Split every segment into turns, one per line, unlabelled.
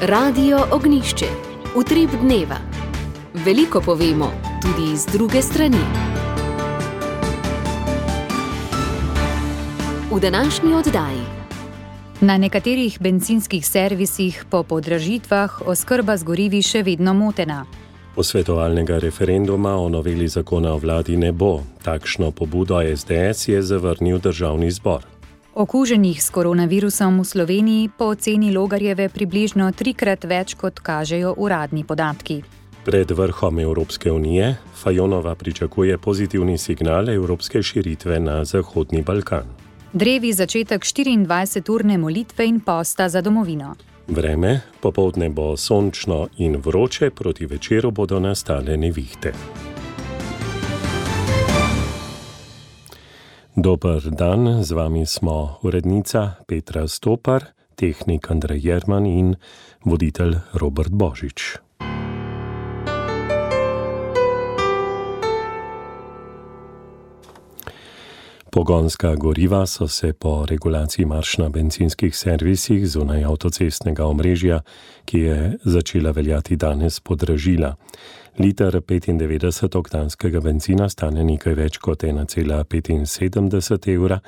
Radio Ognišče, utrip dneva. Veliko povemo, tudi iz druge strani. V današnji oddaji.
Na nekaterih bencinskih servisih po podražitvah oskrba z gorivi še vedno motena.
Posvetovalnega referenduma o noveli zakona o vladi ne bo. Takšno pobudo SDS je zavrnil Državni zbor.
Okuženih s koronavirusom v Sloveniji po oceni Logarjeve približno 3-krat več, kot kažejo uradni podatki.
Pred vrhom Evropske unije Fajonova pričakuje pozitivni signal evropske širitve na Zahodni Balkan.
Drevi začetek 24-urne molitve in posta za domovino.
Vreme, popoldne bo sončno in vroče, proti večeru bodo nastale nevihte. Dober dan, z vami smo urednica Petra Stopar, tehnik Andrej Jerman in voditelj Robert Božič. Pogonska goriva so se po regulaciji marž na bencinskih servisih zunaj avtocestnega omrežja, ki je začela veljati danes, podražila. Liter 95-oktanskega bencina stane nekaj več kot 1,75 evra,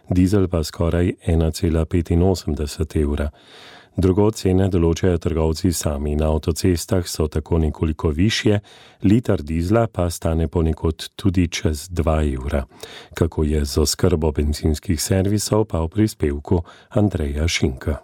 dizel pa skoraj 1,85 evra. Drugo cene določajo trgovci sami. Na avtocestah so tako nekoliko višje, liter dizla pa stane ponekod tudi čez 2 evra. Kako je z oskrbo bencinskih servisov, pa v prispevku Andreja Šinka.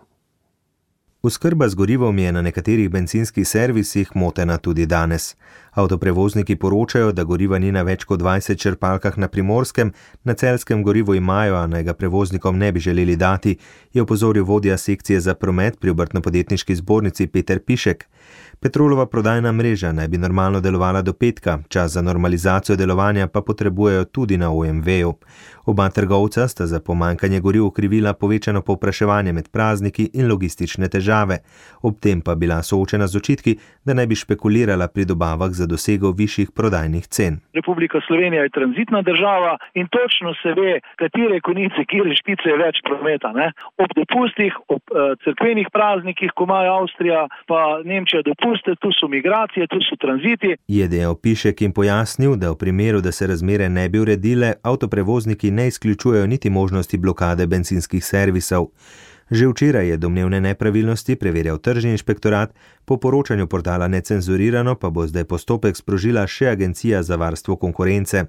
Oskrba z gorivom je na nekaterih bencinskih servisih motena tudi danes. Avtoprevozniki poročajo, da goriva ni na več kot 20 črpalkah na Primorskem, na Celjskem gorivo imajo, a naj ga prevoznikom ne bi želeli dati, je opozoril vodja sekcije za promet pri Obrtno-podjetniški zbornici Peter Pišek. Petrolova prodajna mreža naj bi normalno delovala do petka, čas za normalizacijo delovanja pa potrebujejo tudi na OMV-ju. Oba trgovca sta za pomanjkanje goriv okrivila povečano povpraševanje med prazniki in logistične težave. Ob tem pa bila soočena z očitki, da naj bi špekulirala pri dobavah za dosego višjih prodajnih cen.
Republika Slovenija je tranzitna država in točno se ve, katere konice, kire špice je več prometa. Ob dopustih, ob cerkvenih praznikih, ko ima Avstrija pa Nemčija dopuste, tu so migracije, tu so tranziti. Je
dejal Pišek in pojasnil, da v primeru, da se razmere ne bi uredile, avtoprevozniki ne izključujejo niti možnosti blokade bencinskih servisov. Že včeraj je domnevne nepravilnosti preverjal tržni inšpektorat, po poročanju portala Necenzurirano pa bo zdaj postopek sprožila še Agencija za varstvo konkurence.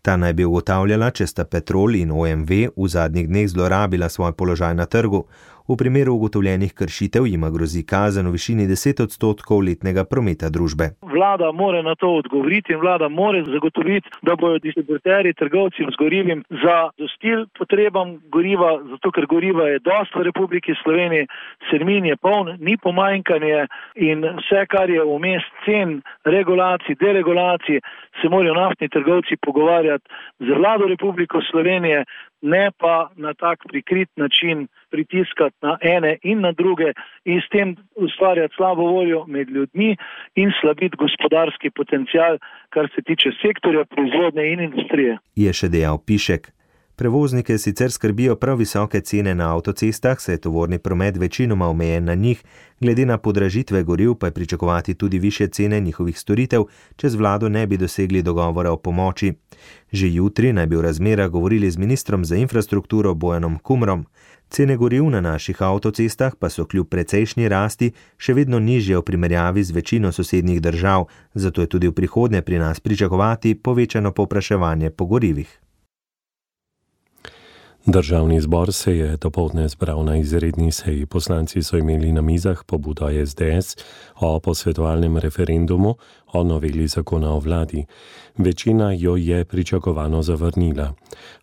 Ta naj bi ugotavljala, če sta Petrol in OMV v zadnjih dneh zlorabila svoj položaj na trgu. V primeru ugotovljenih kršitev jima grozi kazen v višini 10% letnega prometa družbe.
Vlada mora na to odgovoriti in vlada mora zagotoviti, da bodo distributerji, trgovci z gorivim zadostili potrebam goriva, zato ker goriva je dosti v Republiki Sloveniji, sermin je poln, ni pomanjkanje in vse, kar je vmes cen, regulacij, deregulacij, se morajo naftni trgovci pogovarjati z vlado Republike Slovenije, ne pa na tak prikrit način pritiskati na ene in na druge in s tem ustvarjati slabo voljo med ljudmi in slabiti gospodarski potencial, kar se tiče sektorja proizvodnje in industrije.
Je še dejal Pišek. Prevoznike sicer skrbijo prav visoke cene na avtocestah, saj je tovorni promet večinoma omejen na njih, glede na podražitve goriv pa je pričakovati tudi višje cene njihovih storitev, če z vlado ne bi dosegli dogovora o pomoči. Že jutri naj bi v razmerah govorili z ministrom za infrastrukturo Bojanom Kumrom. Cene goriv na naših avtocestah pa so kljub precejšnji rasti še vedno nižje v primerjavi z večino sosednjih držav, zato je tudi v prihodnje pri nas pričakovati povečano povpraševanje po gorivih.
Državni zbor se je dopoldne zbral na izredni seji. Poslanci so imeli na mizah pobudo SDS o posvetovalnem referendumu o noveli zakona o vladi. Večina jo je pričakovano zavrnila.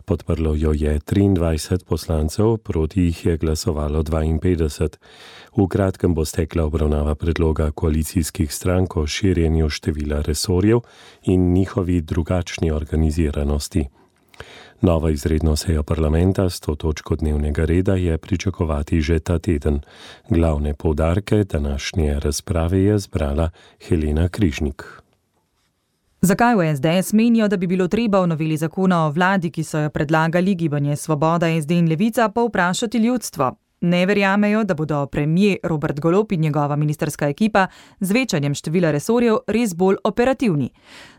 Podprlo jo je 23 poslancev, proti jih je glasovalo 52. V kratkem bo stekla obravnava predloga koalicijskih strank o širjenju števila resorjev in njihovi drugačni organiziranosti. Novo izredno sejo parlamenta s to točko dnevnega reda je pričakovati že ta teden. Glavne poudarke današnje razprave je zbrala Helena Križnik.
Zakaj v SDS menijo, da bi bilo treba v noveli zakona o vladi, ki so jo predlagali Gibanje Svoboda, SD in Levica, pa vprašati ljudstvo? Ne verjamejo, da bodo premier Robert Golob in njegova ministrska ekipa z večanjem števila resorjev res bolj operativni.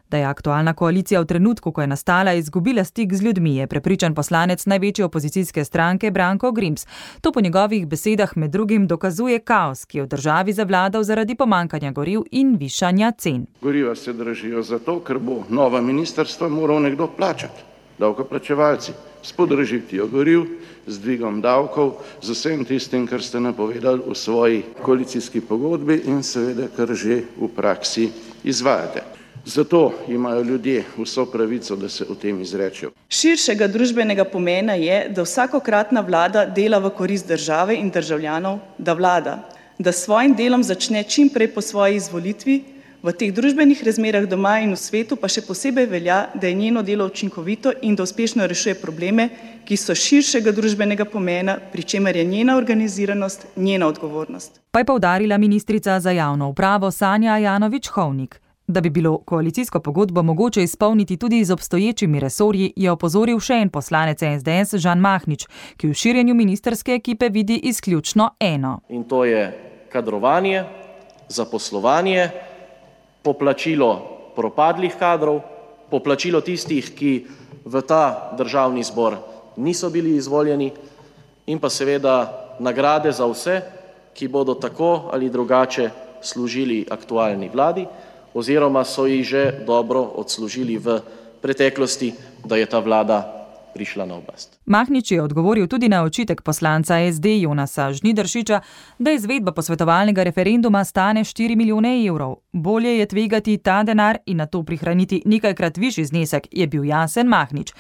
Da je aktualna koalicija v trenutku, ko je nastala, izgubila stik z ljudmi, je prepričan poslanec največje opozicijske stranke Branko Grims. To po njegovih besedah med drugim dokazuje kaos, ki je v državi zavladal zaradi pomankanja goriv in višanja cen.
Goriva se dražijo zato, ker bo nova ministrstva moral nekdo plačati, davkoplačevalci, s podražitvijo goriv, z dvigom davkov, z vsem tistim, kar ste napovedali v svoji koalicijski pogodbi in seveda, kar že v praksi izvajate. Zato imajo ljudje vso pravico, da se o tem izrečejo.
Širšega družbenega pomena je, da vsakokratna vlada dela v korist države in državljanov, da vlada, da s svojim delom začne čim prej po svoji izvolitvi, v teh družbenih razmerah doma in v svetu pa še posebej velja, da je njeno delo učinkovito in da uspešno rešuje probleme, ki so širšega družbenega pomena, pri čemer je njena organiziranost njena odgovornost.
Pa je poudarila ministrica za javno upravo Sanja Ajanović-Hovnik. Da bi bilo koalicijsko pogodbo mogoče izpolniti tudi z obstoječimi resorji, je opozoril še en poslanec SDS Žan Mahnič, ki v širjenju ministrske ekipe vidi izključno eno.
In to je kadrovanje, zaposlovanje, poplačilo propadlih kadrov, poplačilo tistih, ki v ta državni zbor niso bili izvoljeni in pa seveda nagrade za vse, ki bodo tako ali drugače služili aktualni vladi, oziroma so jih že dobro odslužili v preteklosti, da je ta vlada prišla na oblast.
Mahnič je odgovoril tudi na očitek poslanca SD Jonasa Žnidaršiča, da izvedba posvetovalnega referenduma stane 4 milijone evrov. Bolje je tvegati ta denar in na to prihraniti nekajkrat višji znesek, je bil jasen Mahnič.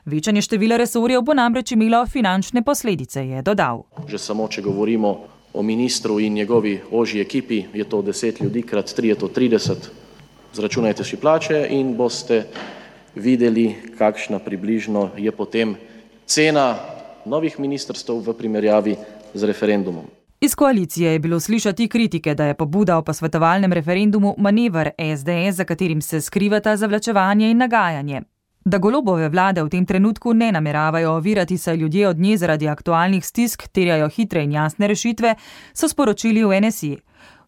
Večanje števila resorjev bo namreč imelo finančne posledice, je dodal.
Že samo, če govorimo o ministru in njegovi ožji ekipi, je to 10 ljudi krat 3 je to 30. Zračunajte si plače in boste videli, kakšna približno je potem cena novih ministrstev v primerjavi z referendumom.
Iz koalicije je bilo slišati kritike, da je pobuda o posvetovalnem referendumu manever SDS, za katerim se skrivata zavlačevanje in nagajanje. Da Golobove vlade v tem trenutku ne nameravajo ovirati, saj ljudje od nje zaradi aktualnih stisk terjajo hitre in jasne rešitve, so sporočili v NSI.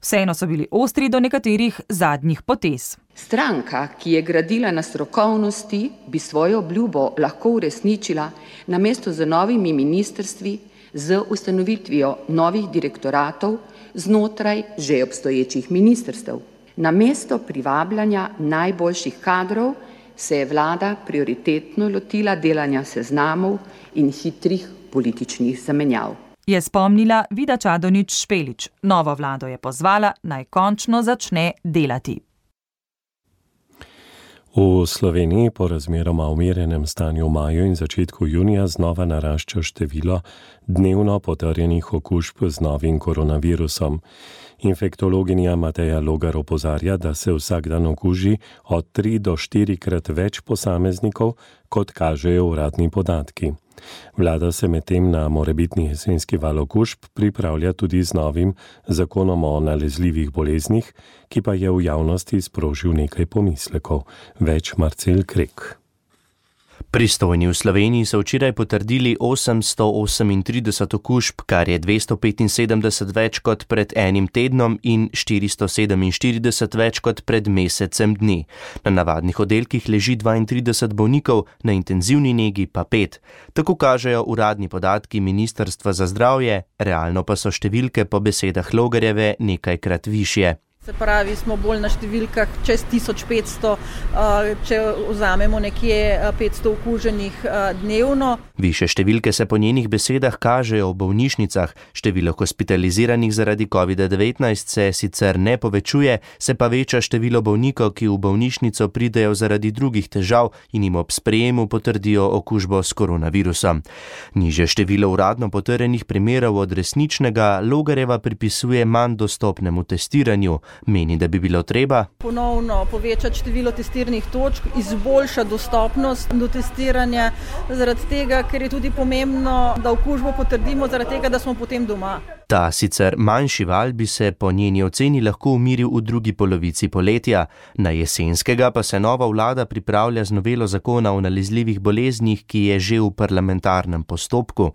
Vseeno so bili ostri do nekaterih zadnjih potez.
Stranka, ki je gradila na strokovnosti, bi svojo obljubo lahko uresničila namesto z novimi ministrstvi, z ustanovitvijo novih direktoratov znotraj že obstoječih ministrstev. Namesto privabljanja najboljših kadrov se je vlada prioritetno lotila delanja seznamov in hitrih političnih zamenjav.
Je spomnila Vida Čadonič Špelič. Novo vlado je pozvala, naj končno začne delati.
V Sloveniji po razmeroma umirjenem stanju v maju in začetku junija znova narašča število dnevno potrjenih okužb z novim koronavirusom. Infektologinja Mateja Logar opozarja, da se vsak dan okuži od 3 do 4 krat več posameznikov, kot kažejo uradni podatki. Vlada se medtem na morebitni jesenski val okužb pripravlja tudi z novim zakonom o nalezljivih boleznih, ki pa je v javnosti sprožil nekaj pomislekov. Več Marcel Krek.
Pristojni v Sloveniji so včeraj potrdili 838 okužb, kar je 275 več kot pred enim tednom in 447 več kot pred mesecem dni. Na navadnih oddelkih leži 32 bolnikov, na intenzivni negi pa 5. Tako kažejo uradni podatki Ministrstva za zdravje, realno pa so številke po besedah Logarjeve nekajkrat višje.
Se pravi, smo bolj na številkah čez 1500, če vzamemo nekje 500 okuženih dnevno.
Više številke se po njenih besedah kažejo v bolnišnicah. Število hospitaliziranih zaradi COVID-19 se sicer ne povečuje, se pa veča število bolnikov, ki v bolnišnico pridejo zaradi drugih težav in jim ob sprejemu potrdijo okužbo s koronavirusom. Nižje število uradno potrjenih primerov od resničnega Logarjeva pripisuje manj dostopnemu testiranju. Meni, da bi bilo treba
ponovno povečati število testiranih točk, izboljšati dostopnost do testiranja, zaradi tega, ker je tudi pomembno, da okužbo potrdimo, zaradi tega, da smo potem doma.
Ta sicer manjši val bi se po njeni oceni lahko umiril v drugi polovici poletja, na jesenskega pa se nova vlada pripravlja z novelo zakona o nalezljivih boleznih, ki je že v parlamentarnem postopku.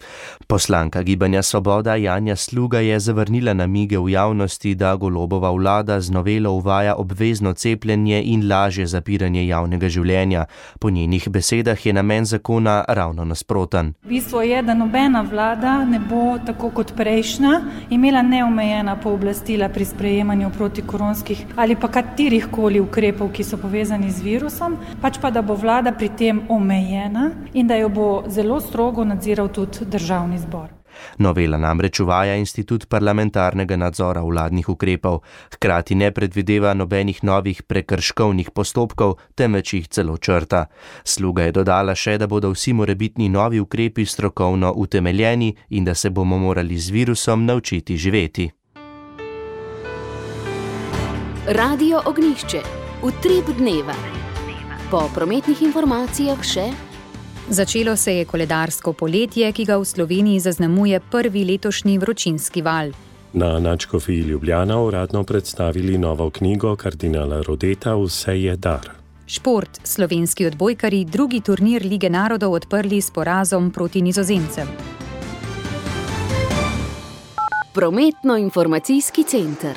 Poslanka Gibanja Svoboda Janja Sluga je zavrnila namige v javnosti, da Golobova vlada z novelo uvaja obvezno cepljenje in lažje zapiranje javnega življenja. Po njenih besedah je namen zakona ravno nasproten.
Bistvo je, da nobena vlada ne bo tako kot prejšnja imela neomejena pooblastila pri sprejemanju protikoronskih ali pa katerihkoli ukrepov, ki so povezani z virusom, pač pa da bo vlada pri tem omejena in da jo bo zelo strogo nadziral tudi državni zbor.
Novela namreč uvaja institut parlamentarnega nadzora vladnih ukrepov, hkrati ne predvideva nobenih novih prekrškovnih postopkov, temveč jih celo črta. Sluga je dodala še, da bodo vsi morebitni novi ukrepi strokovno utemeljeni in da se bomo morali z virusom naučiti živeti.
Radio Ognjišče. Utrip dneva. Po prometnih informacijah še...
Začelo se je koledarsko poletje, ki ga v Sloveniji zaznamuje prvi letošnji vročinski val.
Na Nadškofiji Ljubljana uradno predstavili novo knjigo kardinala Rodeta Vse je dar.
Šport. Slovenski odbojkarji drugi turnir Lige narodov odprli s porazom proti Nizozemcem.
Prometno-informacijski center.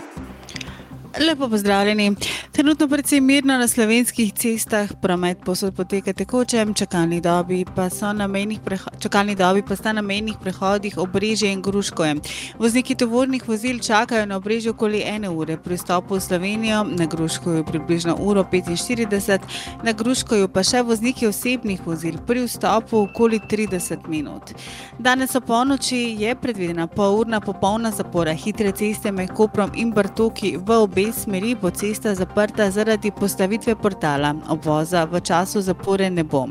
Lepo pozdravljeni. Trenutno precej mirno na slovenskih cestah, promet povsod poteka tekoče, čakalni dobi pa sta na mejnih prehodih Obrežje in Gruškovje. Vozniki tovornih vozil čakajo na Obrežju okoli 1 ure, pri vstopu v Slovenijo na Gruškovju približno 1:45, na Gruškovju pa še vozniki osebnih vozil pri vstopu okoli 30 minut. Danes o polnoči je predvidena polurna popolna zapora hitre ceste med Koprom in Bartoki v obe smeri, bo cesta zaprta zaradi postavitve portala. Obvoza v času zapore ne bo.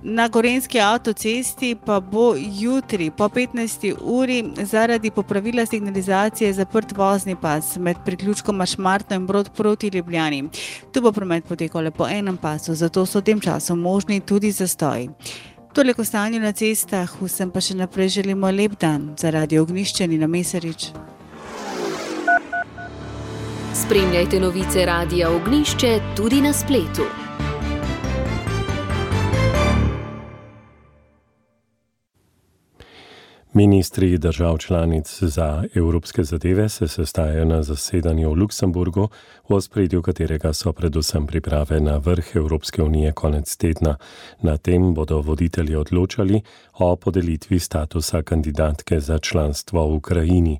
Na Gorenjski avtocesti pa bo jutri po 15. uri zaradi popravila signalizacije zaprt vozni pas med priključkoma Šmartno in Brod proti Ljubljani. Tu bo promet potekal le po enem pasu, zato so v tem času možni tudi zastoji. Toliko stanju na cestah, vsem pa še naprej želimo lep dan. Za Radio Ognjišče Nina Mesarič.
Spremljajte novice Radia Ognjišče tudi na spletu.
Ministri držav članic za evropske zadeve se sestajajo na zasedanju v Luksemburgu, v ospredju katerega so predvsem priprave na vrh Evropske unije konec tedna. Na tem bodo voditelji odločali o podelitvi statusa kandidatke za članstvo v Ukrajini.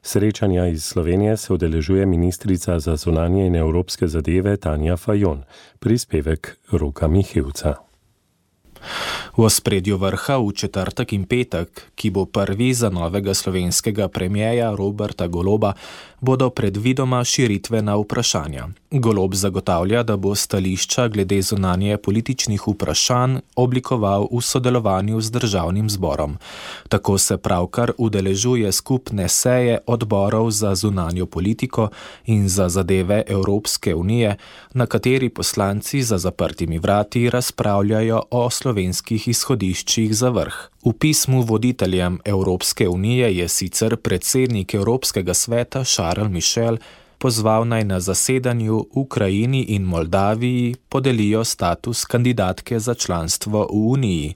Srečanja iz Slovenije se udeležuje ministrica za zunanje in evropske zadeve Tanja Fajon. Prispevek Roka Mihevca.
V ospredju vrha v četrtek in petek, ki bo prvi za novega slovenskega premierja Roberta Goloba, bodo predvidoma širitvena vprašanja. Golob zagotavlja, da bo stališča glede zunanje političnih vprašanj oblikoval v sodelovanju z državnim zborom. Tako se pravkar udeležuje skupne seje odborov za zunanjo politiko in za zadeve Evropske unije, na kateri poslanci za zaprtimi vrati razpravljajo o slovenskih izhodiščih za vrh. V pismu voditeljem Evropske unije je sicer predsednik Evropskega sveta Charles Michel pozval naj na zasedanju Ukrajini in Moldaviji podelijo status kandidatke za članstvo v Uniji.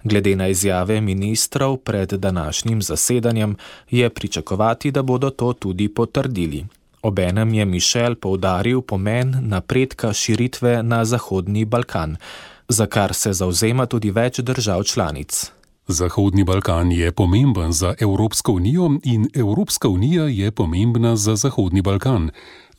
Glede na izjave ministrov pred današnjim zasedanjem je pričakovati, da bodo to tudi potrdili. Obenem je Michel poudaril pomen napredka širitve na Zahodni Balkan, za kar se zavzema tudi več držav članic.
Zahodni Balkan je pomemben za Evropsko unijo in Evropska unija je pomembna za Zahodni Balkan.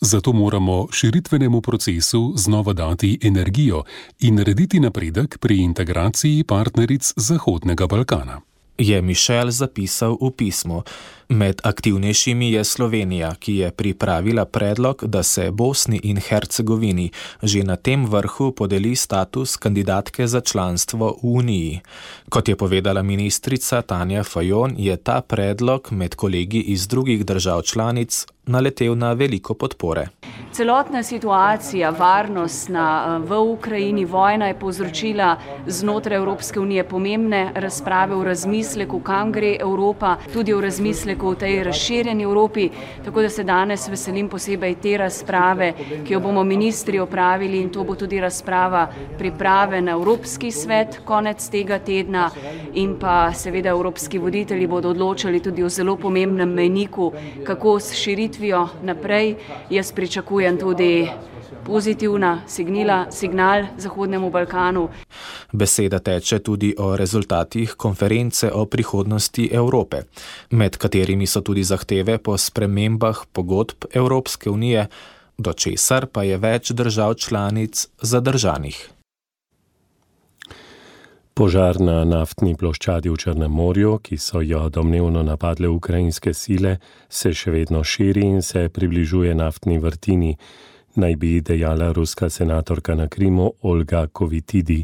Zato moramo širitvenemu procesu znova dati energijo in narediti napredek pri integraciji partneric Zahodnega Balkana.
Je Michel zapisal v pismu. Med aktivnejšimi je Slovenija, ki je pripravila predlog, da se Bosni in Hercegovini že na tem vrhu podeli status kandidatke za članstvo v Uniji. Kot je povedala ministrica Tanja Fajon, je ta predlog med kolegi iz drugih držav članic naletel na veliko podpore.
Celotna situacija, varnostna v Ukrajini, vojna je povzročila znotraj Evropske unije pomembne razprave v razmisleku, kam gre Evropa, tudi v razmisleku v tej razširjeni Evropi, tako da se danes veselim posebej te razprave, ki jo bomo ministri opravili, in to bo tudi razprava priprave na Evropski svet konec tega tedna, in pa seveda evropski voditelji bodo odločali tudi o zelo pomembnem mejniku, kako s širitvijo naprej. Jaz pričakujem tudi pozitivna signal Zahodnemu Balkanu.
Beseda teče tudi o rezultatih konference o prihodnosti Evrope, med katerimi so tudi zahteve po spremembah pogodb Evropske unije, do česar pa je več držav članic zadržanih.
Požar na naftni ploščadi v Črnem morju, ki so jo domnevno napadle ukrajinske sile, se še vedno širi in se približuje naftni vrtini, naj bi dejala ruska senatorka na Krimu Olga Kovitidi.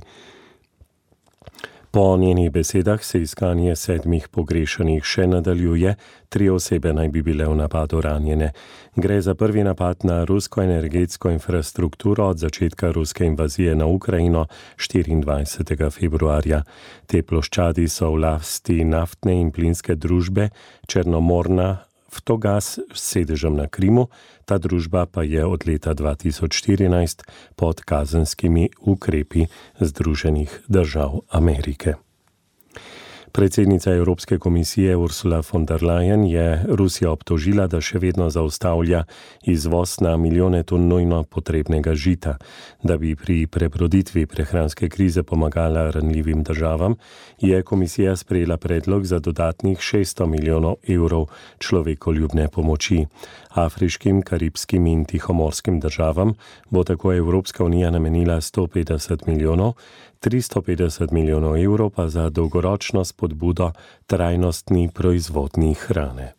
Po njenih besedah se iskanje 7 pogrešanih še nadaljuje, 3 osebe naj bi bile v napadu ranjene. Gre za prvi napad na rusko energetsko infrastrukturo od začetka ruske invazije na Ukrajino 24. februarja. Te ploščadi so v lasti naftne in plinske družbe Černomorna Vtogas s sedežem na Krimu, ta družba pa je od leta 2014 pod kazenskimi ukrepi Združenih držav Amerike. Predsednica Evropske komisije Ursula von der Leyen je Rusijo obtožila, da še vedno zaustavlja izvoz na milijone ton nujno potrebnega žita. Da bi pri prebroditvi prehranske krize pomagala ranljivim državam, je komisija sprejela predlog za dodatnih 600 milijonov evrov človekoljubne pomoči. Afriškim, karibskim in tihomorskim državam bo tako Evropska unija namenila 150 milijonov, 350 milijonov evrov pa za dolgoročno spodbudo trajnostni proizvodnji hrane.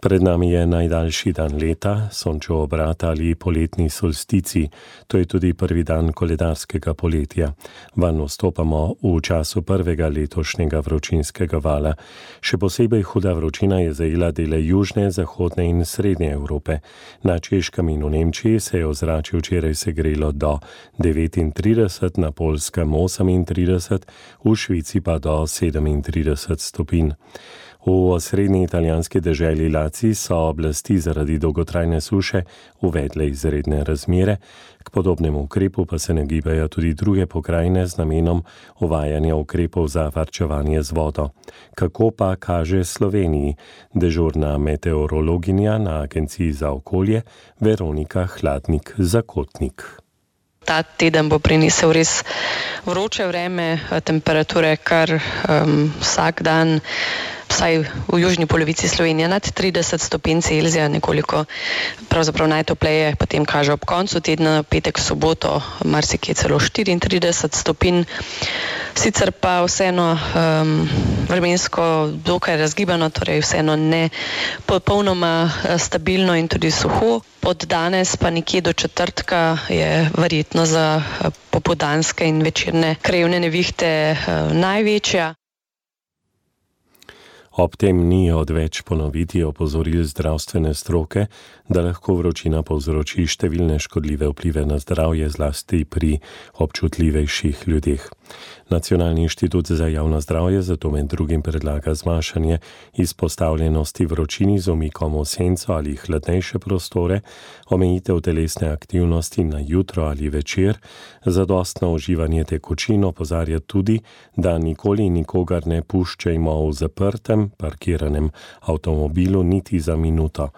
Pred nami je najdaljši dan leta, sončev obrat ali poletni solstici. To je tudi prvi dan koledarskega poletja. Vanj vstopamo v času prvega letošnjega vročinskega vala. Še posebej huda vročina je zajela dele južne, zahodne in srednje Evrope. Na Češkem in v Nemčiji se je ozračje včeraj segrelo do 39, na Poljskem 38, v Švici pa do 37 stopinj. V osrednji italijanski deželi Laci so oblasti zaradi dolgotrajne suše uvedle izredne razmere, k podobnemu ukrepu pa se nagibajo tudi druge pokrajine z namenom uvajanja ukrepov za varčevanje z vodo. Kako pa kaže Sloveniji? Dežurna meteorologinja na Agenciji za okolje Veronika Hladnik-Zakotnik.
Ta teden bo prinesel res vroče vreme, temperature kar vsak dan, vsaj v južni polovici Slovenije nad 30 stopinj Celzija, nekoliko pravzaprav najtopleje potem kaže ob koncu tedna, petek, soboto, marsikje celo 34 stopinj. Sicer pa vseeno vremensko dokaj razgibano, torej vseeno ne popolnoma stabilno in tudi suho. Od danes pa nekje do četrtka je verjetno za popoldanske in večerne krajevne nevihte največja.
Ob tem ni odveč ponoviti opozoril zdravstvene stroke, da lahko vročina povzroči številne škodljive vplive na zdravje, zlasti pri občutljivejših ljudeh. Nacionalni inštitut za javno zdravje zato med drugim predlaga zmanjšanje izpostavljenosti vročini z umikom v senco ali hladnejše prostore, omejitev telesne aktivnosti na jutro ali večer, zadostno uživanje tekočin, opozarja tudi, da nikoli nikogar ne puščajmo v zaprtem, parkiranem avtomobilu niti za minuto.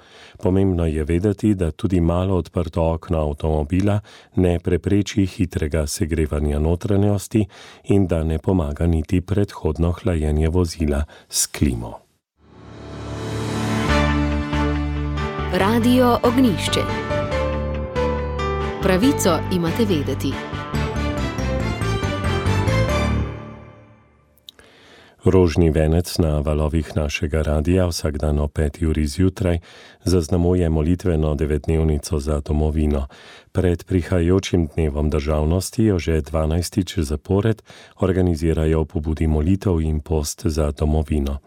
Pomembno je vedeti, da tudi malo odprto okno avtomobila ne prepreči hitrega segrevanja notranjosti in da ne pomaga niti predhodno hlajenje vozila s klimo.
Radio Ognjišče. Pravico imate vedeti.
Rožni venec na valovih našega radia vsak dan o 5. uri zjutraj zaznamuje molitveno 9-dnevnico za domovino. Pred prihajajočim dnevom državnosti jo že 12. zapored organizirajo pobudi molitev in post za domovino.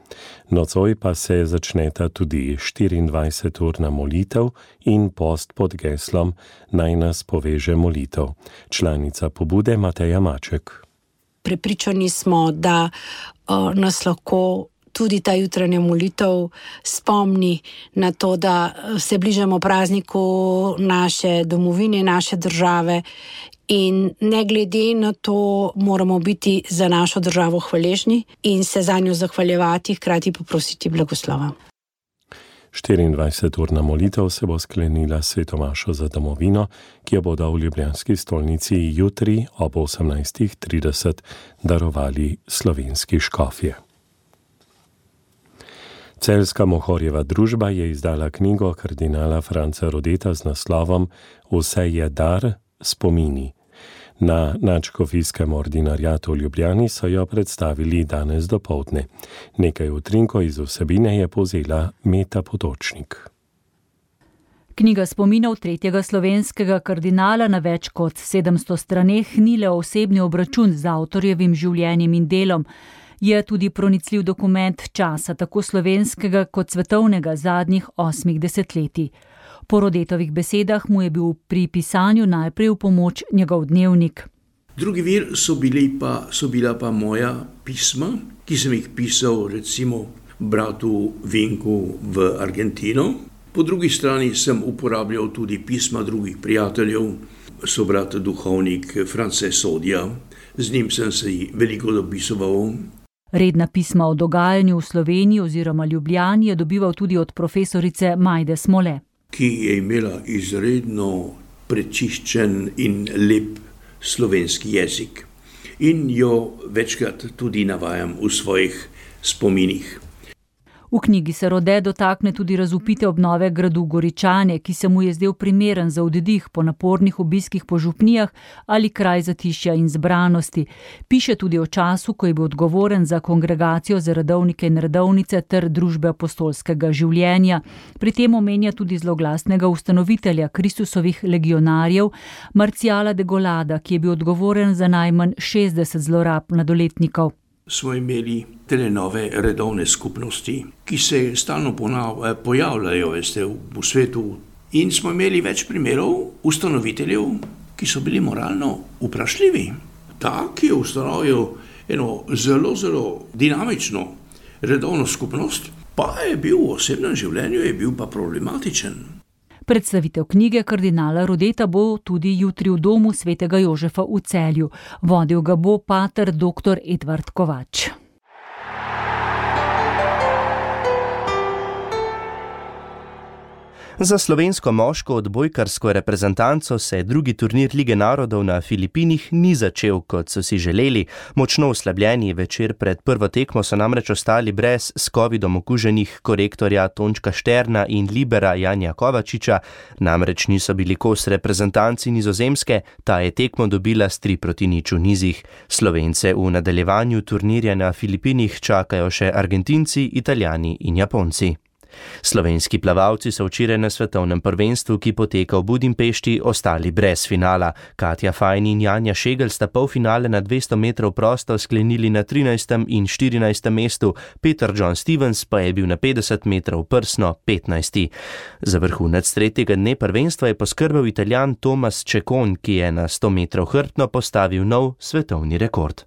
Nocoj pa se začneta tudi 24-urna molitev in post pod geslom Naj nas poveže molitev. Članica pobude Mateja Maček.
Prepričani smo, da nas lahko tudi ta jutranja molitev spomni na to, da se bližamo prazniku naše domovine, naše države in ne glede na to moramo biti za našo državo hvaležni in se za njo zahvaljevati, hkrati poprositi blagoslova.
24-urna molitev se bo sklenila sveto mašo za domovino, ki jo bodo v ljubljanski stolnici jutri ob 18:30 darovali slovenski škofje. Celjska Mohorjeva družba je izdala knjigo kardinala Franca Rodeta z naslovom Vse je dar, spomini. Na nadškofijskem ordinariatu v Ljubljani so jo predstavili danes dopoldne. Nekaj utrinkov iz vsebine je povzela Meta Potočnik.
Knjiga spominov tretjega slovenskega kardinala na več kot 700 straneh ni le osebni obračun z avtorjevim življenjem in delom, je tudi pronicljiv dokument časa tako slovenskega kot svetovnega zadnjih 8 desetletij. Po Rodetovih besedah mu je bil pri pisanju najprej v pomoč njegov dnevnik.
Drugi vir so bila pa moja pisma, ki sem jih pisal recimo bratu Vinku v Argentino. Po drugi strani sem uporabljal tudi pisma drugih prijateljev, sobrat duhovnik France Sodja, z njim sem se veliko dopisoval.
Redna pisma o dogajanju v Sloveniji oziroma Ljubljani je dobival tudi od profesorice Majde Smole,
ki je imela izredno prečiščen in lep slovenski jezik. In jo večkrat tudi navajam v svojih spominih.
V knjigi se Rode dotakne tudi razvpite obnove gradu Goričane, ki se mu je zdel primeren za oddih po napornih obiskih po župnijah ali kraj zatišja in zbranosti. Piše tudi o času, ko je bil odgovoren za kongregacijo za redovnike in redovnice ter družbe apostolskega življenja. Pri tem omenja tudi zloglasnega ustanovitelja Kristusovih legionarjev, Marciala de Golada, ki je bil odgovoren za najmanj 60 zlorab mladoletnikov.
Smo imeli nove redovne skupnosti, ki se stalno pojavljajo v svetu. In smo imeli več primerov ustanoviteljev, ki so bili moralno vprašljivi. Ta, ki je ustanovil eno zelo, zelo dinamično redovno skupnost, pa je bil v osebnem življenju pa problematičen.
Predstavitev knjige kardinala Rodeta bo tudi jutri v domu svetega Jožefa v Celju. Vodil ga bo pater dr. Edvard Kovač.
Za slovensko moško odbojkarsko reprezentanco se drugi turnir Lige narodov na Filipinih ni začel, kot so si želeli. Močno oslabljeni večer pred prvo tekmo so namreč ostali brez s covidom okuženih korektorja Tončka Šterna in libera Janja Kovačiča. Namreč niso bili kos reprezentanci Nizozemske, ta je tekmo dobila s 3-0 v nizih. Slovence v nadaljevanju turnirja na Filipinih čakajo še Argentinci, Italijani in Japonci. Slovenski plavalci so včeraj na svetovnem prvenstvu, ki poteka v Budimpešti, ostali brez finala. Katja Fajn in Janja Šegel sta polfinale na 200 metrov prosto sklenili na 13. in 14. mestu, Peter John Stevens pa je bil na 50 metrov prsno 15. Za vrhunec tretjega dne prvenstva je poskrbel Italijan Tomas Čekon, ki je na 100 metrov hrbtno postavil nov svetovni rekord.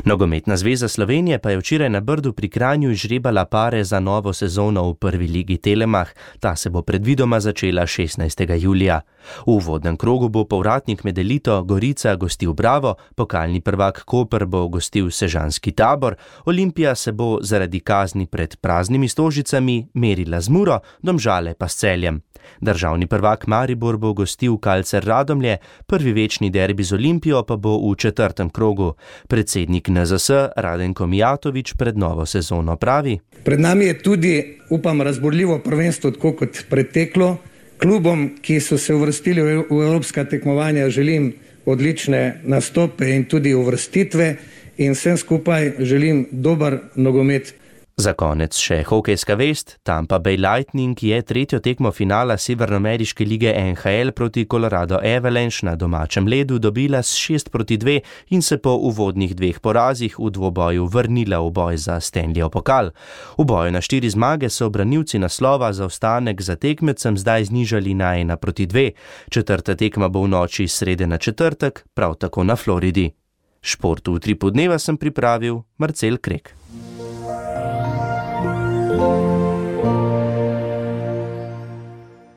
Nogometna zveza Slovenije pa je včeraj na Brdu pri Kranju izžrebala pare za novo sezono v prvi ligi Telemach. Ta se bo predvidoma začela 16. julija. V uvodnem krogu bo povratnik med elito Gorica gostil Bravo, pokalni prvak Koper bo gostil Sežanski Tabor, Olimpija se bo zaradi kazni pred praznimi stožicami merila z Muro, Domžale pa s Celjem. Državni prvak Maribor bo gostil Kalcer Radomlje, prvi večni derbi z Olimpijo pa bo v 4. krogu. Predsednik NZS Radenko Mijatović pred novo sezono pravi:
Pred nami je tudi, upam, razborljivo prvenstvo, tako kot preteklo. Klubom, ki so se uvrstili v evropska tekmovanja, želim odlične nastope in tudi uvrstitve in vsem skupaj želim dober nogomet.
Za konec še hokejska vest. Tampa Bay Lightning je tretjo tekmo finala Severnoameriške lige NHL proti Colorado Avalanche na domačem ledu dobila s 6-2 in se po uvodnih 2 porazih v dvoboju vrnila v boj za Stanleyjev pokal. V boju na 4 zmage so branilci naslova zaostanek za tekmecem zdaj znižali na 1-2. Četrta tekma bo v noči srede na četrtek, prav tako na Floridi. Šport v Utripu dneva sem pripravil Marcel Krek.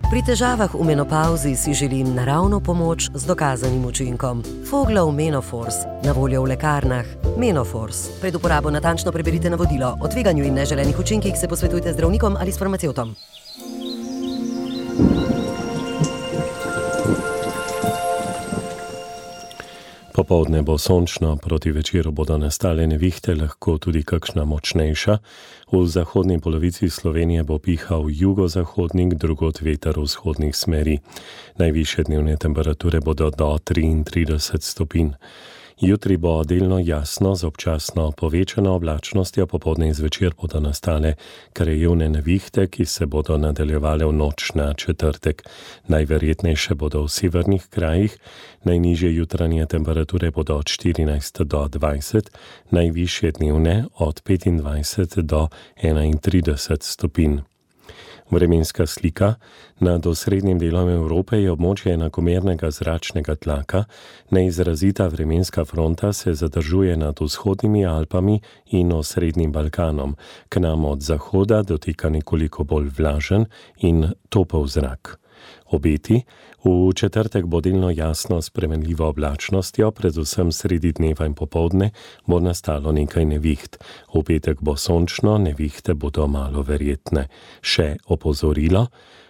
Pri težavah v menopauzi si želim naravno pomoč z dokazanim učinkom. Foglov Menofors, na voljo v lekarnah. Menofors. Pred uporabo natančno preberite navodilo. O tveganju in neželenih učinkih se posvetujte z zdravnikom ali s farmacevtom.
Popoldne bo sončno, proti večeru bodo nastale nevihte, lahko tudi kakšna močnejša. V zahodni polovici Slovenije bo pihal jugozahodnik, drugod veter vzhodnih smeri. Najvišje dnevne temperature bodo do 33 stopinj. Jutri bo delno jasno z občasno povečano oblačnostjo, popoldne in zvečer bodo nastale krajevne nevihte, ki se bodo nadaljevale v noč na četrtek. Najverjetnejše bodo v severnih krajih, najnižje jutranje temperature bodo od 14 do 20, najvišje dnevne od 25 do 31 stopinj. Vremenska slika. Nad osrednjim delom Evrope je območje enakomernega zračnega tlaka. Neizrazita vremenska fronta se zadržuje nad vzhodnimi Alpami in osrednjim Balkanom. K nam od zahoda dotika nekoliko bolj vlažen in topel zrak. Obeti. V četrtek bo delno jasno s spremenljivo oblačnostjo, predvsem sredi dneva in popoldne bo nastalo nekaj neviht. V petek bo sončno, nevihte bodo malo verjetne. Še opozorilo.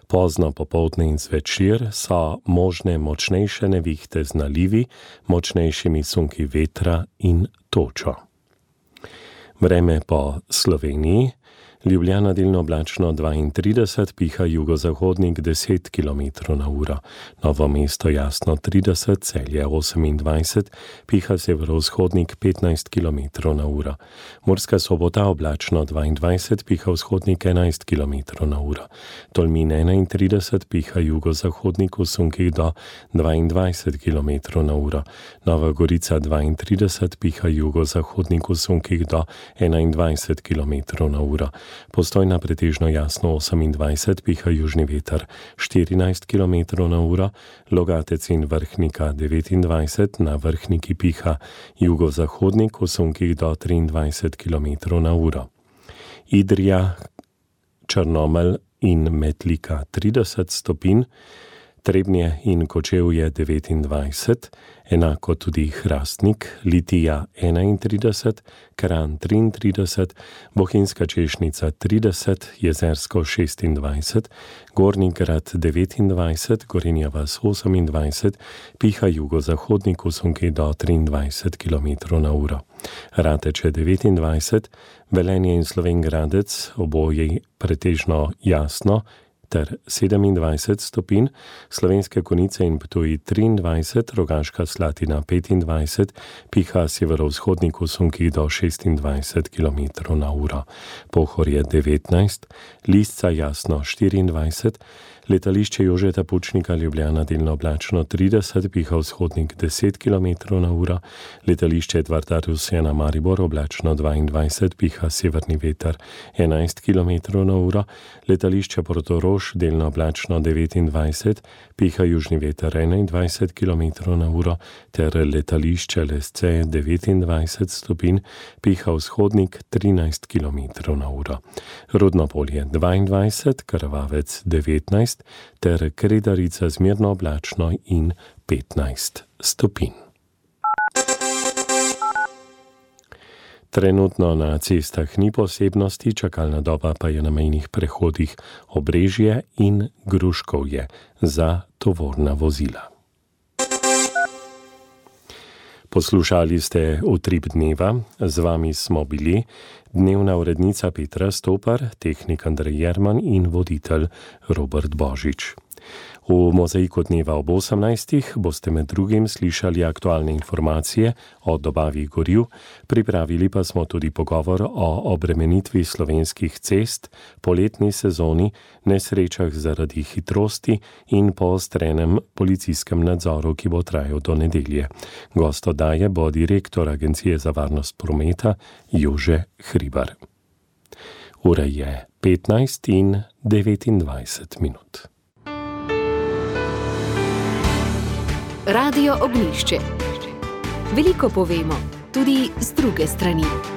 Pozno popoldne in zvečer so možne močnejše nevihte z nalivi, močnejšimi sunki vetra in točo. Vreme po Sloveniji. Ljubljana delno oblačno 32, piha jugozahodnik 10 km/h. Novo mesto jasno 30, Celje 28, piha severovzhodnik 15 km/h. Murska Sobota oblačno 22, piha vzhodnik 11 km/h. Tolmin 31, piha jugozahodnik v sunkih do 22 km/h. Nova Gorica 32, piha jugozahodnik v sunkih do 21 km/h. Postojna pretežno jasno 28, piha južni veter 14 km/h, Logatec in Vrhnika 29, na Vrhniki piha jugozahodnik v sunkih do 23 km/h. Idrija, Črnomelj in Metlika 30 stopinj, Trebnje in Kočevje 29, enako tudi Hrastnik, Litija 31, Kranj 33, Bohinjska Češnica 30, Jezersko 26, Gornji Grad 29, Gorenja vas 28, piha jugozahodnik v sunki do 23 km/h. Rateče 29, Velenje in Slovenj Gradec, oboje pretežno jasno, ter 27 stopinj, Slovenske Konjice in Ptuj 23, Rogaška Slatina 25, piha severovzhodnik v sunkih do 26 km/h. Pohorje 19, Lisca jasno 24, Letališče Jožeta Pučnika Ljubljana delno oblačno 30, piha vzhodnik 10 km/h, Letališče Edvarda Rusjana Maribor oblačno 22, piha severni veter 11 km/h, Letališče Portorož delno oblačno 29, piha južni veter 21 km/h, ter Letališče Lesce 29 stopinj, piha vzhodnik 13 km/h. Rudnopolje 22, Krvavec 19, ter Kredarica zmerno oblačno in 15 stopinj. Trenutno na cestah ni posebnosti, čakalna doba pa je na mejnih prehodih Obrežje in Gruškovje za tovorna vozila. Poslušali ste Utrip dneva, z vami smo bili dnevna urednica Petra Stopar, tehnik Andrej Jerman in voditelj Robert Božič. V Mozaiku dneva ob 18. boste med drugim slišali aktualne informacije o dobavi goriv, pripravili pa smo tudi pogovor o obremenitvi slovenskih cest, poletni sezoni, nesrečah zaradi hitrosti in poostrenem policijskem nadzoru, ki bo trajal do nedelje. Gost oddaje bo direktor Agencije za varnost prometa Jože Hribar. Ura je 15:29 minut.
Radio Ognjišče. Veliko povemo, tudi z druge strani.